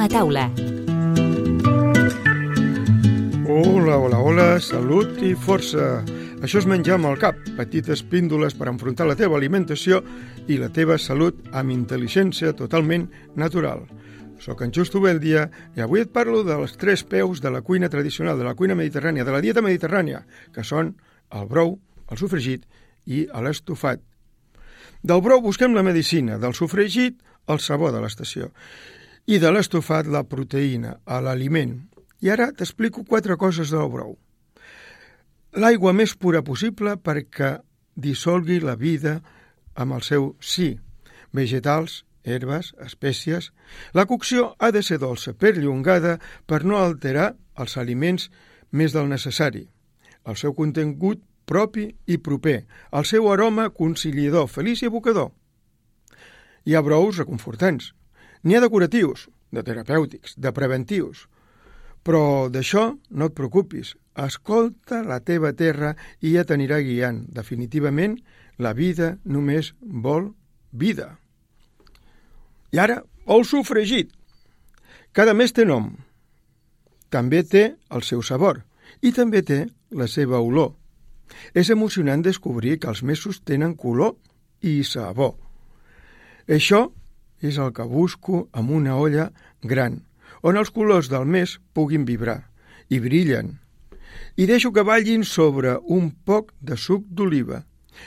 a taula. Hola, salut i força. Això és menjar amb el cap, petites píndoles per enfrontar la teva alimentació i la teva salut amb intel·ligència totalment natural. Soc en Justo Beldia i avui et parlo dels 3 peus de la cuina tradicional, de la cuina mediterrània, de la dieta mediterrània, que són el brou, el sofregit i l'estofat. Del brou busquem la medicina, del sofregit el sabor de l'estació i de l'estofat la proteïna, l'aliment. I ara t'explico 4 coses del brou. L'aigua més pura possible perquè dissolgui la vida amb el seu sí. Vegetals, herbes, espècies. La cocció ha de ser dolça, perllongada, per no alterar els aliments més del necessari. El seu contingut propi i proper. El seu aroma conciliador, feliç i evocador. Hi ha brous reconfortants. N'hi ha decoratius, de terapèutics, de preventius. Però d'això no et preocupis. Escolta la teva terra i ja t'anirà guiant. Definitivament, la vida només vol vida. I ara, el sofregit. Cada mes té nom. També té el seu sabor i també té la seva olor. És emocionant descobrir que els mesos tenen color i sabor. Això és el que busco amb una olla gran, on els colors del mes puguin vibrar i brillen. I deixo que ballin sobre un poc de suc d'oliva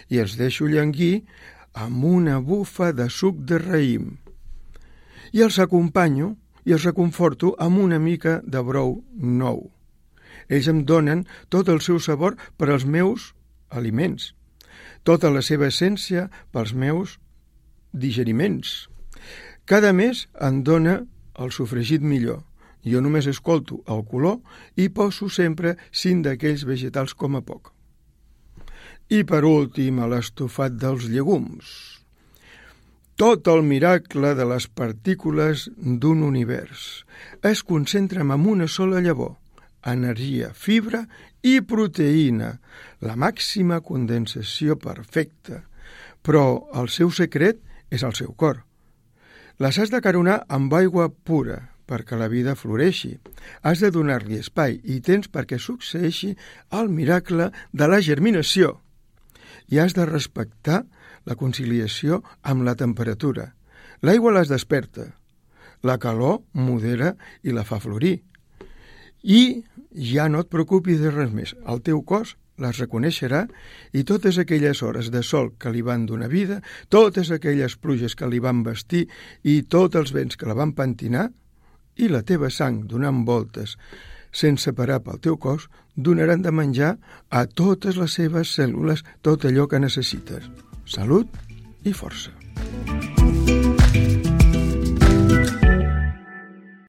i els deixo llanguir amb una bufa de suc de raïm. I els acompanyo i els reconforto amb una mica de brou nou. Ells em donen tot el seu sabor per als meus aliments, tota la seva essència pels meus digeriments. Cada mes em dona el sofregit millor. Jo només escolto el color i poso sempre 5 d'aquells vegetals com a poc. I per últim, l'estofat dels llegums. Tot el miracle de les partícules d'un univers es concentra en una sola llavor, energia, fibra i proteïna, la màxima condensació perfecta. Però el seu secret és el seu cor. Les has d'acaronar amb aigua pura perquè la vida floreixi. Has de donar-li espai i temps perquè succeeixi el miracle de la germinació. I has de respectar la conciliació amb la temperatura. L'aigua les desperta, la calor modera i la fa florir. I ja no et preocupis de res més. El teu cos les reconeixerà i totes aquelles hores de sol que li van donar vida, totes aquelles pluges que li van vestir i tots els vents que la van pentinar i la teva sang donant voltes sense parar pel teu cos donaran de menjar a totes les seves cèl·lules tot allò que necessites. Salut i força.